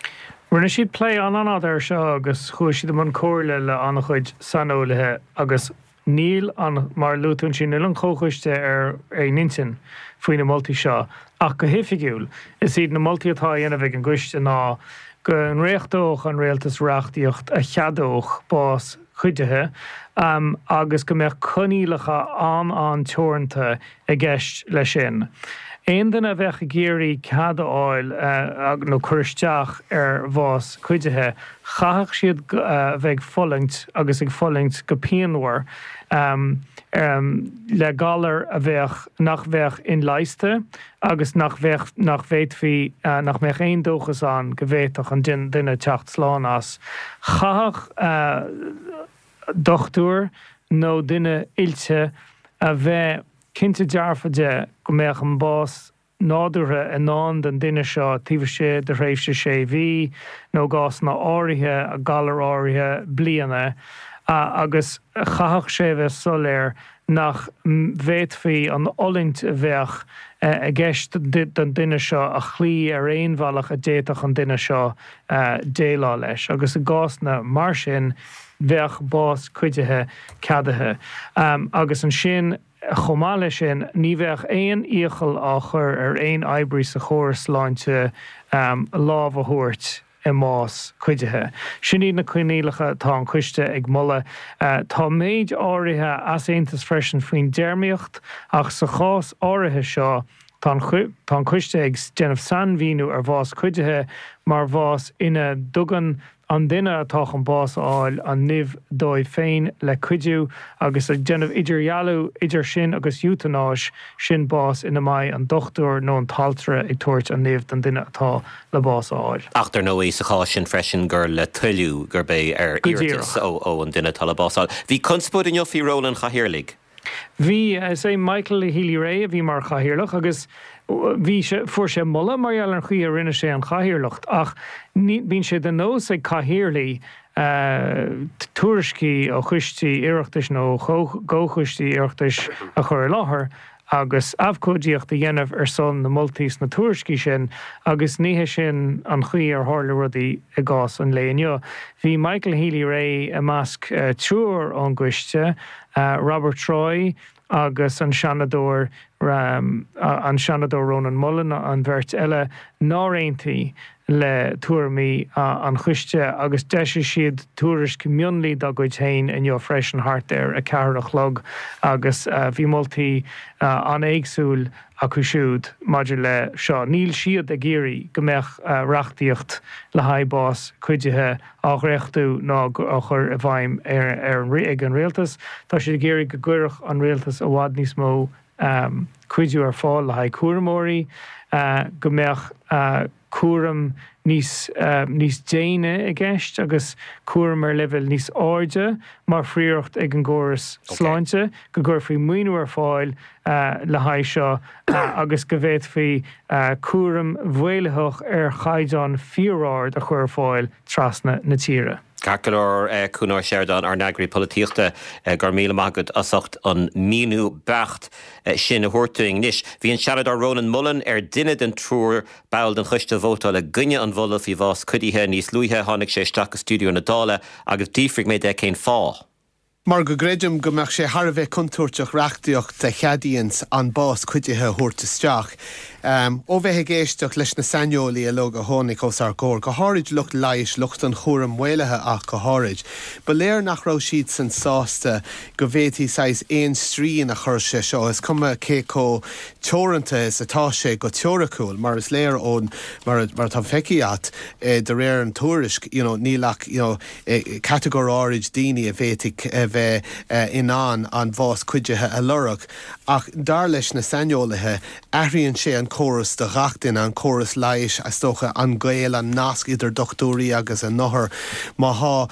Rinne siad plé an-fhada air seo agus chuaigh siad i mbun comhairle le an-chuid saineolaithe agus níl an, mar a luaigh tú ansin, níl an comhchoiste ar aon intinn faoi na moltaí seo ach go hoifigiúil is iad na moltaí atá á dhéanamh ag an gcoiste ná go ndréachtódh an rialtas reachtaíocht a cheadódh bás cuidithe agus go mbeadh coinníollacha an-an-teoranta i gceist leis sin. Aon duine a bheadh ag iarraidh cead a fháil nó cur isteach ar bhás cuidithe, chaithfeadh siad a bheith ag fulaingt agus ag fulaingt go pianmhar le galar a bheadh, nach bheadh inleigheasta agus nach bheadh, nach bhféadfaí, nach mbeadh aon dóchas ann go bhféadfadh an duine teacht slán as. Chaithfeadh dochtúir nó duine oilte a bheith cinnte dearfa de go mbeadh an bás nádúrtha i ndán don duine seo taobh istigh de thréimhse sé mhí, nó i gcásanna áirithe, galar áirithe, bliana, agus chaithfeadh sé a bheith soiléir nach bhféadfaí an fhulaingt a bheadh i gceist don duine seo a chloí ar aon bhealach a d'fhéadfadh an duine seo déileáil leis, agus i gcásanna mar sin bheadh bás cuidithe ceadaithe. Agus ansin. Chomh maith leis sin, ní bheadh aon iachall á chur ar aon oibrí sa chóras sláinte lámh a thabhairt i mbás cuidithe. Sin iad na coinníollacha atá an coiste ag moladh. Tá méid áirithe easaontais freisin faoin dtéarmaíocht ach sa chás áirithe seo, Tá an coiste ag déanamh sainmhíniú ar bhás cuidithe mar bhás ina dtugann an duine atá chun bás a fháil an nimh dóibh féin le cuidiú agus ag déanamh idirdhealú idir sin agus eotanáis, sin bás ina mbeidh an dochtúir nó an t-altra ag tabhairt an nimh don duine atá le bás a fháil. Ach dar ndóigh sa chás sin freisin gur le toiliú, gurb é ar iarratas ó an duine atá le bás a fháil. Bhí conspóid inniu faoi ról an chathaoirligh. Bhí, is é Michael Healy-Rae a bhí mar chathaoirleach agus bhí sé, fuair sé moladh mar gheall ar an chaoi a rinne sé an chathaoirleacht ach ní, bíonn sé de nós ag cathaoirligh tuairiscí ó choistí Oireachtais nó ó chomhchoistí Oireachtais a chur i láthair agus abhcóidíocht a dhéanamh ar son na moltaí sna tuairiscí sin agus ní hé sin an chaoi ar tharla rudaí i gcás an lae inniu. Bhí Michael Healy-Rae i measc triúr ón gcoiste, Robert Troy agus an Seanadóir an Seanadóir Rónán Mullen an bheirt eile nár aontaigh le tuairimí an choiste agus d'eisigh siad tuairisc mionlaigh dá gcuid féin inniu freisin thart ar a ceathair a chlog agus bhí moltaí an-éagsúil acu siúd maidir le seo. Níl siad ag iarraidh go mbeadh reachtaíocht le haghaidh bás cuidithe á dhréachtú ná á chur i bhfeidhm ag an rialtas. Tá siad ag iarraidh go gcuirfeadh an rialtas i bhfad níos mó cuidiú ar fáil le haghaidh cúramóirí, go mbeadh cúram níos níos déine i gceist agus cúram ar leibhéal níos airde mar phríoracht ag an gcóras sláinte, go gcuirfí maoiniú ar fáil le haghaidh seo agus go bhféadfaí cúram maolaitheach ar chaighdeán fíor-ard a chur ar fáil trasna na tíre. Ceart go leor, Cuan Ó Seireadáin, ár n-eagraí polaitíochta, go raibh míle maith agat as ucht an míniú beacht sin a thabhairt dúinn. Anois, bhí an Seanadóir Rónán Mullen ar duine den triúr ball den choiste a vótáil i gcoinne an mholadh faoi bhás cuidithe. Níos luaithe, tháinig sé isteach go stiúideo na Dála agus d'fhiafraigh mé de cén fáth. Mar go gcreidim go mbeadh sé thar a bheith contúirteach reachtaíocht a cheadaíonns an bás cuidithe a thabhairt isteach. Ó bheith ag éisteacht leis na saineolaí uilig a tháinig os ár gcomhair, go háirid lucht leighis, lucht an chúraim mhaolaithe ach go háirid, ba léir nach raibh siadsan sásta go bhféadfaí saghas aon srian a chur sé seo, is cuma cé chomh teoranta is atá sé go teoiriciúil, mar is léir ón, mar atá feicthe agat, de réir an tuairisc, you know, níl ach, you know, catagóir áirid daoine a bhféadfadh a bheith in ann an bhás cuidithe a lorg. Ach dar leis na saineolaithe, athraíonn sé an córas do ghach duine, an córas leighis, is dócha, an gaol, an nasc idir dochtúirí agus a n-othair. Má thá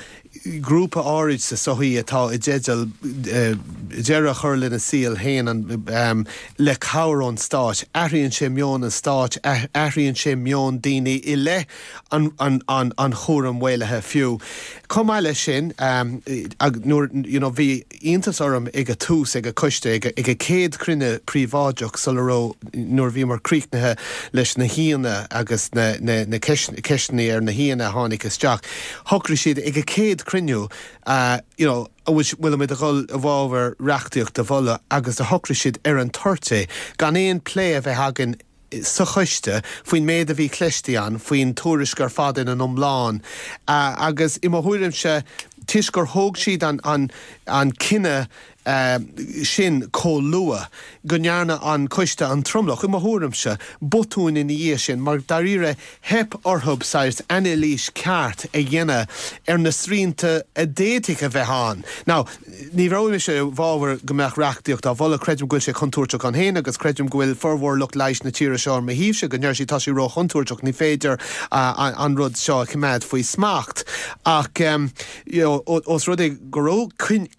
grúpa áirid sa sochaí atá i dteideal deireadh a chur lena saol féin le cabhair ón stát, athraíonn sé meon an stáit, athraíonn sé meon daoine i leith an chúraim mhaolaithe fiú. Chomh maith leis sin, nuair, you know, bhí iontas orm ag a tús, ag a coiste, ag a céad cruinniú príobháideach sula raibh, nuair a bhíomar críochnaithe leis na haíonna agus na, na, na ceisteanna ar na haíonna a tháinig isteach, shocraigh siad ag a céad cruinniú, you know, an bhfuilimid a dhul i bhfabhar reachtaíocht a mholadh agus do shocraigh siad ar an toirt é, gan aon plé a bheith againn sa choiste faoin méid a bhí cloiste againn, faoin tuairisc ar fad ina n-iomlán. Agus i mo thuairimse, toisc gur thóg siad an, an, an cinneadh sin chomh luath, go ndearna an coiste, an tromlach, i mo thuairimse, botún ina dhiaidh sin, mar dáiríre theip orthu saghas anailís ceart a dhéanamh ar na srianta a d'fhéadfadh a bheith ann. Now, ní raibh mise i bhfabhar go mbeadh reachtaíocht á mholadh, creidim go bhfuil sé contúirteach ann féin agus creidim go bhfuil formhór lucht leighis na tíre seo ar mo thaobhse, go ndeir siad tá sé róchontúirteach, ní féidir an rud seo a choimeád faoi smacht. Ach you know, ós rud é go raibh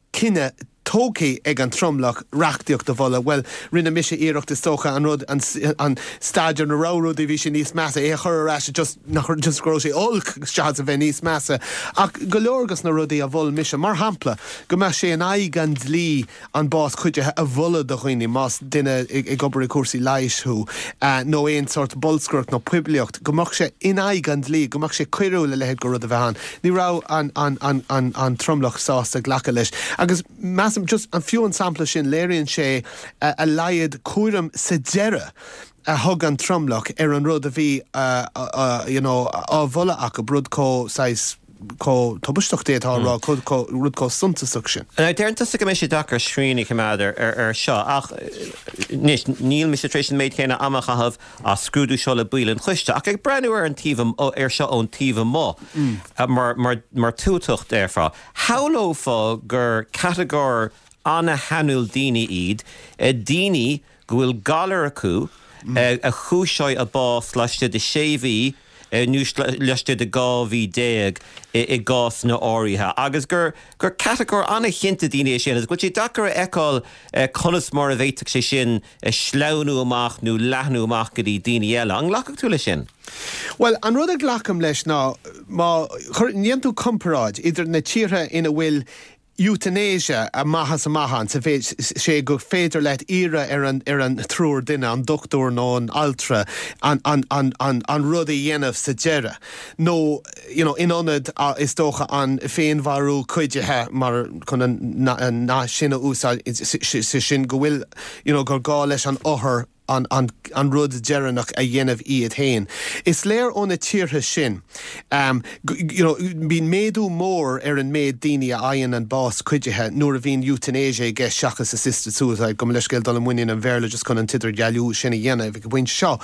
cinneadh tógtha ag an tromlach reachtaíocht a mholadh, bhuel, rinne mise iarracht is dócha an rud, an staid ina raibh rudaí, bhí sé níos measa, é a chur ar ais just, nach, just go raibh sé olc seachas a bheith níos measa. Ach go leor dos na rudaí a mhol mise, mar shampla, go mbeadh sé in aghaidh an dlí an bás cuidithe a mholadh do dhaoine, más duine ag obair i gcúrsaí leighis thú, nó aon sórt bolscaireacht nó poiblíocht, go mbeadh sé in aghaidh an dlí, go mbeadh sé coiriúil a leithéid de rud a bheith ann. Ní raibh an, an, an, an, an tromlach sásta glacadh leis. Agus measaim, just, an fiú an sampla sin, léiríonn sé a laghad cúraim sa deireadh a thug an tromlach ar an rud a bhí you know, á mholadh acu, rud chomh saghas chomh tubaisteach d'fhéadfá a rá, rud chomh suntasach sin. Now, deireann tusa go mbeidh sé deacair srian a choimeád ar seo, ach anois, níl mise tar éis an méid céanna ama a chaitheamh á scrúdú seo le baill an choiste, ach ag breathnú ar an taobh, ar seo ón taobh amuigh, mar, mar, mar tuatach déarfá, shamhlófá gur catagóir ana-shainiúil daoine iad, daoine go bhfuil galar acu a chúiseoidh a bás laistigh de sé mhí nó laistigh de dhá mhí déag i gcásanna áirithe, agus gur gur catagóir an-chinnte daoine é sin agus go bhfuil sé deacair a fheiceáil conas mar a bhféadfadh sé sin sleamhnú amach nó leathnú amach go dtí daoine eile. An nglacfadh tú leis sin? Bhuel, an rud a ghlacaim leis ná má dhéanann tú comparáid idir na tíortha ina bhfuil euthanasia amach is amach ann, sa mhéid sé gur féidir leat iarraidh ar an ar an triúr duine, an dochtúir nó an altra, an an an an an rud a dhéanamh sa deireadh. Nó you know in ionad is dócha an féinmharú cuidithe mar chun an an nath sin a úsáid, sé sin go bhfuil you know gur gá leis an othar an an rud deireanach a dhéanamh iad féin. Is léir ó na tíortha sin you know bíonn méadú mór ar an méid daoine a fhaigheann an bás cuidithe nuair a bhíonn euthanasia i gceist seachas assisted suicide, gabh mo leithscéal dul i muinín an Bhéarla just chun an t-idirdhealú sin a dhéanamh ag an bpointe seo.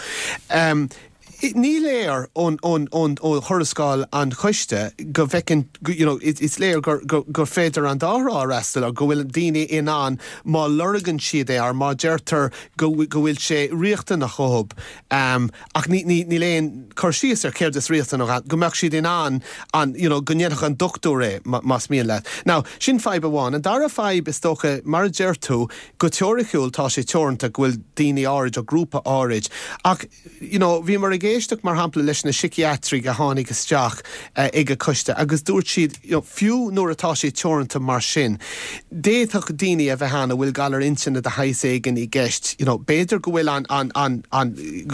Ní léir ón ó thuarascáil an choiste go bhfeiceann you know is léir gur gur féidir an dá thrá a fhreastal ar, go bhfuil daoine in ann má lorgann siad é or má deirtear go go bhfuil sé riachtanach dhóibh ach ní ní níl aon cur síos ar céard is riachtanach go mbeadh siad in ann an you know go ndéanfadh an dochtúir é más mian leat. Now sin fadhb amháin. An dara fadhb is dócha mar a deir tú go teoiriciúil tá sé teoranta go bhfuil daoine áirid ó grúpa áirid ach you know bhíomar ag éisteacht mar shampla leis na síciatraigh a tháinig isteach ag an choiste agus dúirt siad you know fiú nuair atá sé teoranta mar sin d'fhéadfadh daoine a bheith ann a bhfuil galar intinne de shaghas éigin i gceist you know b'fhéidir go bhfuil an an an an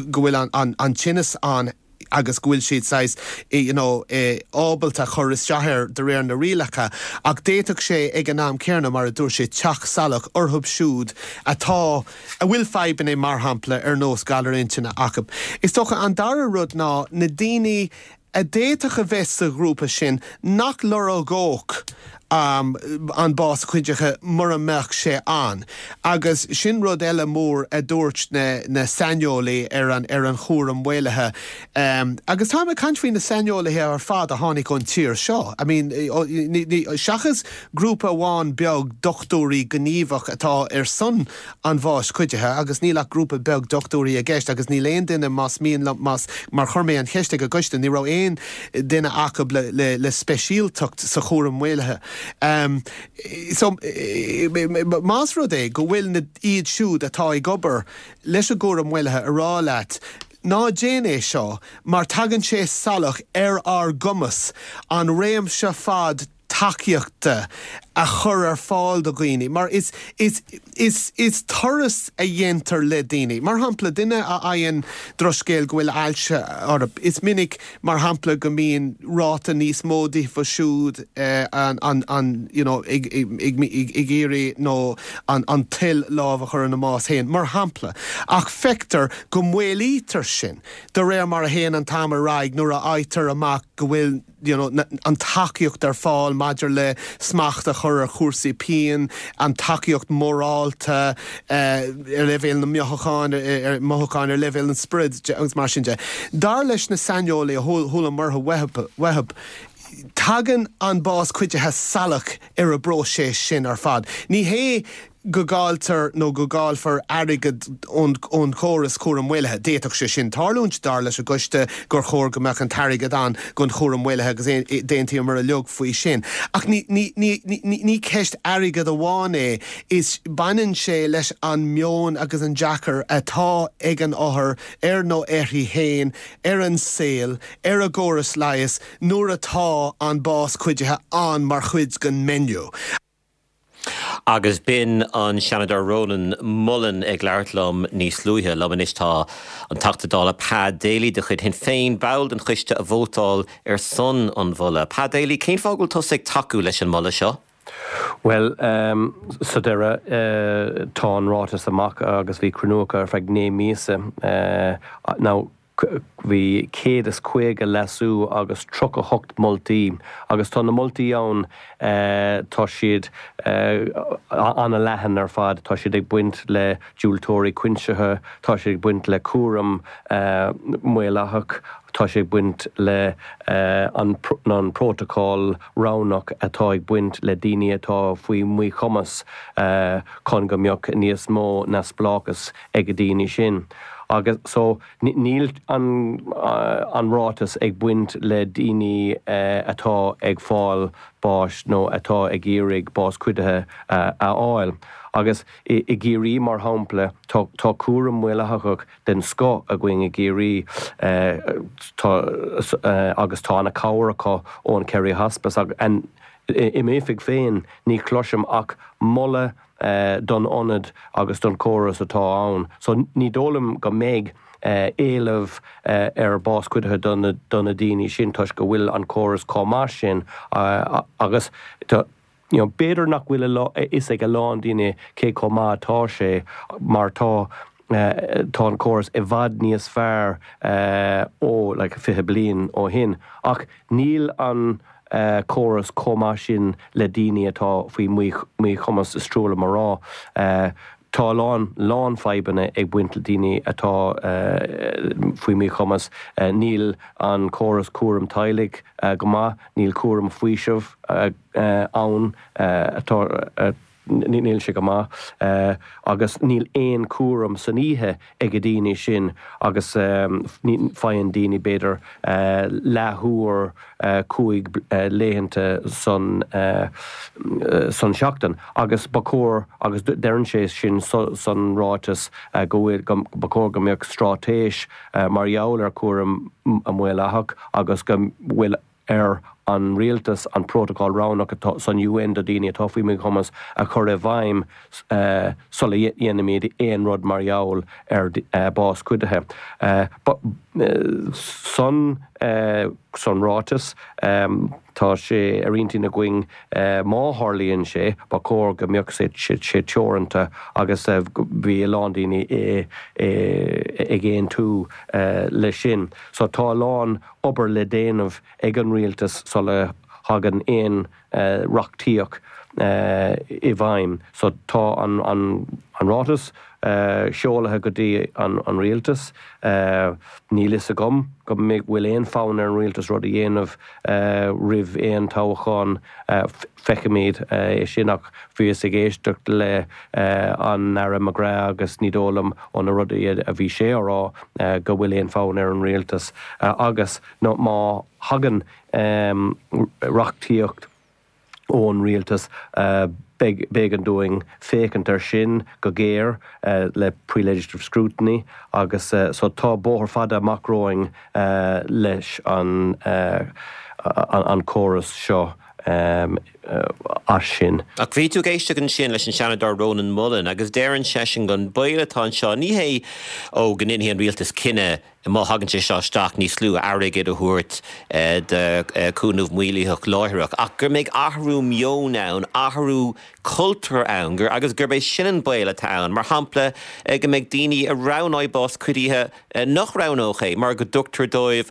go bhfuil an an an tinneas ann agus go bhfuil siad saghas you know ábalta cur isteach air de réir na rialacha ach d'fhéadfadh sé ag an am céanna mar a dúirt sé teacht salach orthu siúd atá a bhfuil fadhbanna mar shampla ar nós galar intinne acu. Is dócha an dara rud ná na daoine a d'fhéadfadh a bheith sa ghrúpa sin nach lorgódh an bás cuidithe mura mbeadh sé ann. Agus sin rud eile mór a dúirt na na saineolaí ar an ar an chúram maolaithe. Agus táim ag caint faoi na saineolaithe ar fad a tháinig ón tír seo. I mean seachas grúpa amháin beag dochtúirí gníomhach atá ar son an bháis cuidithe agus níl ach grúpa beag dochtúirí i gceist agus níl aon duine más mian liom más mar chuir mé an cheist ag an gcoiste ní raibh aon duine acu le le le speisialtacht sa chúram maolaithe. So más rud é go bhfuil na iad siúd atá ag obair leis an gcúram maolaithe a rá leat ná déan é seo mar tagann sé salach ar ár gcumas an réimse fad tacaíochta a chur ar fáil do dhaoine mar is is is is turas a dhéantar le daoine. Mar shampla, duine a fhaigheann drochscéal go bhfuil ailse orthu, is minic mar shampla go mbíonn ráta níos mó díofa siúd an an an you know ag ag ag iarraidh nó an an toil lámh a chur ina mbás féin, mar shampla. Ach feictear go maolaítear sin de réir mar a théann an t-am ar aghaidh nuair a fhaightear amach go bhfuil you know an tacaíocht ar fáil maidir le smacht a chur ar chúrsaí pian, an tacaíocht mhorálta ar leibhéal na mothúchán, ar mothúcháin ar leibhéal an spioraid agus mar sin de. Dar leis na saineolaithe a chualamar uathu, tagann an bás cuidithe salach ar an bpróiseas sin ar fad. Ní hé go gcailltear nó go gcaillfear airgead ón chóras cúram maolaithe. D'fhéadfadh sé sin tarlúint, dar leis an gcoiste, gur chóir go mbeadh an t-airgead ann don chúram maolaithe agus d'aontaíomar uilig faoi sin. Ach ní ceist airgid amháin é, is baineann sé leis an meon agus an dearcadh atá ag an othar air nó uirthi féin, ar an saol, ar an gcóras leighis nuair atá an bás cuidithe ann mar chuid den menu. Agus b'in an Seanadóir Rónán Mullen ag labhairt liom níos luaithe. Liom anois tá an Teachta Dála Pa Daly de chuid Shinn Féin, ball den choiste a vótáil ar son an mholadh. Pa Daly, cén fáth go bhfuil tusa ag tacú leis an moladh seo? Bhuel, sa deireadh, tá an ráiteas amach agus bhí cruinniú acu ar feadh naoi míosa. Now, Bhí céad is caoga leasú agus tríocha hocht moltaí agus tá na moltaí ann tá siad an-leathan ar fad, tá siad ag baint le diúltóirí coinsithe, tá siad ag baint le cúram maolaitheach, tá sé ag baint le an an prótacal roghnach atá ag baint le daoine atá faoi mhíchumas chun go mbeadh níos mó neamhspleáchas ag daoine sin. Agus so níl an an ráiteas ag baint le daoine atá ag fáil báis nó atá ag iarraidh bás cuidithe a fháil. Agus i gCiarraí mar shampla tá tá cúram maolaitheach den scoth againn i gCiarraí tá agus tá an cabhair acu ón Kerry Hospice agus i m'oifig féin ní chloisim ach moladh don ionad agus don chóras atá ann. So ní dóigh liom go mbeidh éileamh ar bás cuidithe do na do na daoine sin toisc go bhfuil an córas chomh maith sin agus you know, b'fhéidir nach bhfuil a fhios ag a lán daoine cé chomh maith atá sé mar tá tá an córas i bhfad níos fearr ó like fiche bliain ó shin ach níl an córas chomh maith sin le daoine atá faoi mhíchumas is trua liom a rá. Tá a lán lán fadhbanna ag baint le daoine atá faoi mhíchumas. Níl an córas cúram teaghlaigh go maith, níl cúram faoisimh ann atá níl sé go maith agus níl aon cúram san oíche ag daoine sin agus faigheann daoine b'fhéidir leathuair cúig laethanta san san seachtain agus ba chóir agus deireann sé sin san ráiteas go bhfuil ba chóir go mbeadh straitéis mar gheall ar chúram maolaitheach agus go bhfuil ar an rialtas an prótacal roghnach atá san UN do daoine atá faoi mhíchumas a chur i bhfeidhm sula dhéanaimid aon rud mar gheall ar bás cuidithe. San san ráiteas tá sé ar intinn againn má tharlaíonn sé ba chóir go mbeadh sé teoranta agus bhí a lán daoine ag aontú leis sin. So tá a lán obair le déanamh ag an rialtas sula thagann aon reachtaíocht i bhfeidhm. So tá an an an ráiteas seoltha go dtí an an rialtas. Níl fhios agam go mbeidh bhfuil aon fonn ar an rialtas rud a dhéanamh roimh aon toghchán feicfimid é sin ach bhíos ag éisteacht le an Aire McGrath agus ní dóigh liom ó na rudaí a bhí sé á rá go bhfuil aon fonn ar an rialtas agus nó má thagann reachtaíocht ón rialtas b'éigean dúinn féachaint ar sin go géar le pre-legislative scrutiny agus so tá bóthar fada amach romhainn leis an an córas seo as sin. Ach bhí tú ag éisteacht ansin leis an Seanadóir Rónán Mullen agus deireann seisean gon baol atá anseo ní hé ó go ndéanfaidh an rialtas cinneadh má thagann sé seo isteach níos lú airgid a thabhairt do chúnamh maolaitheach láithreach, ach gur mbeidh athrú meoin ann, athrú cultúir ann, gur agus gurb é sin an baol atá ann. Mar shampla go mbeidh daoine a roghnóidh bás cuidithe nach roghnódh é mar go dtugtar dóibh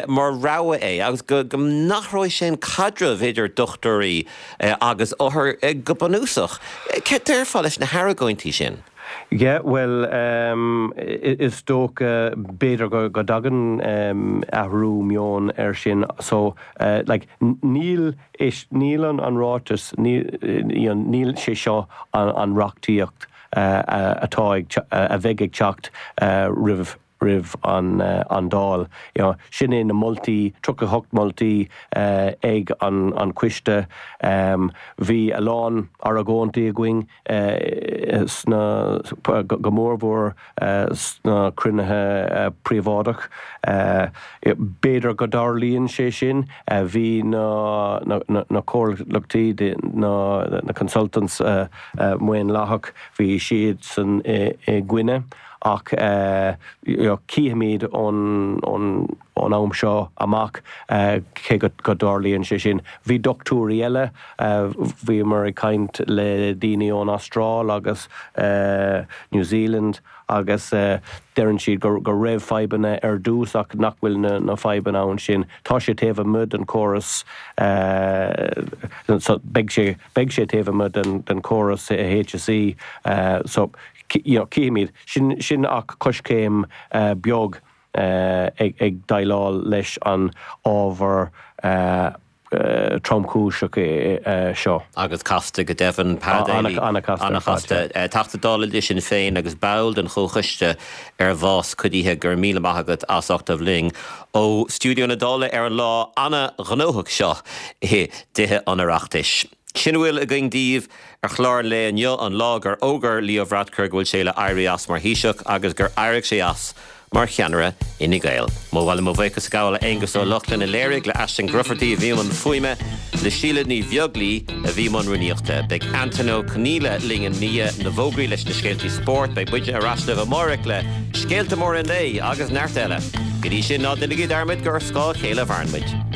mar rogha é agus go go n-athróidh sé an caidreamh idir dochtúirí agus othair go bunúsach. Céard déarfá leis na hargóintí sin? Yeah, well um, is dócha b'fhéidir go, go dtagann um, athrú meoin ar sin so uh, like, níl is níl an, an ráiteas níl, níl sé seo an, an reachtaíocht uh, atá ag, a bheidh ag teacht uh, roimh roimh an, uh, an Dáil. You know, sin é na moltaí tríocha hocht moltaí uh, ag an, an coiste um, bhí a lán argóintí againn uh, sna go, go mórmhór uh, sna cruinnithe uh, príobháideach. Uh, B'fhéidir go dtarlaíonn sé sin uh, bhí na, na, na, na comhlachtaí na, na consultants uh, uh, maonlathach bhí siad san i, i gcoinne. ach cífimid ón ón am seo amach cé go dtarlaíonn sé sin. Bhí dochtúirí eile, bhíomar ag caint le daoine ón Astráil agus New Zealand agus deireann siad go go raibh fadhbanna ar dtús ach nach bhfuil na na fadhbanna ann sin. Tá sé taobh amuigh den chóras so beidh sé beidh sé taobh amuigh den den chóras HSE so you know cífimid sin sin ach coiscéim beag ag ag déileáil leis an ábhar tromchúiseach seo. Agus casta go deimhin, Pa Daly. An-chasta. Teachta Dála le Sinn Féin agus ball den Chomhchoiste ar Bhás Cuidithe, go raibh míle maith agat as ucht a bheith linn ó stiúideo na Dála ar an lá an-ghnóthach seo i dTithe an Oireachtais. Sin a bhfuil againn daoibh ar chlár an lae inniu, an lá gur fhógair Leo Varadkar go bhfuil sé le éirí as mar Thaoiseach agus gur éirigh sé as mar cheannaire Fhine Gael. Mo mhaith liom mo bhuíochas a ghabháil le Aengus Ó Lochlainn a léirigh, le Aisling Grufferty a bhí i mbun fuaime, le Síle Ní Bheaglaoi a bhí i mbun rúnaíochta. Beidh Antain Ó Conghaile linn i ndiaidh na bhfógraí leis na scéaltaí spóirt. Beidh muidne ar ais libh amárach le scéalta móra an lae agus neart eile. Go dtí sin, ná déanaigí dearmad gur ar scáth a chéile a mhaireann muid.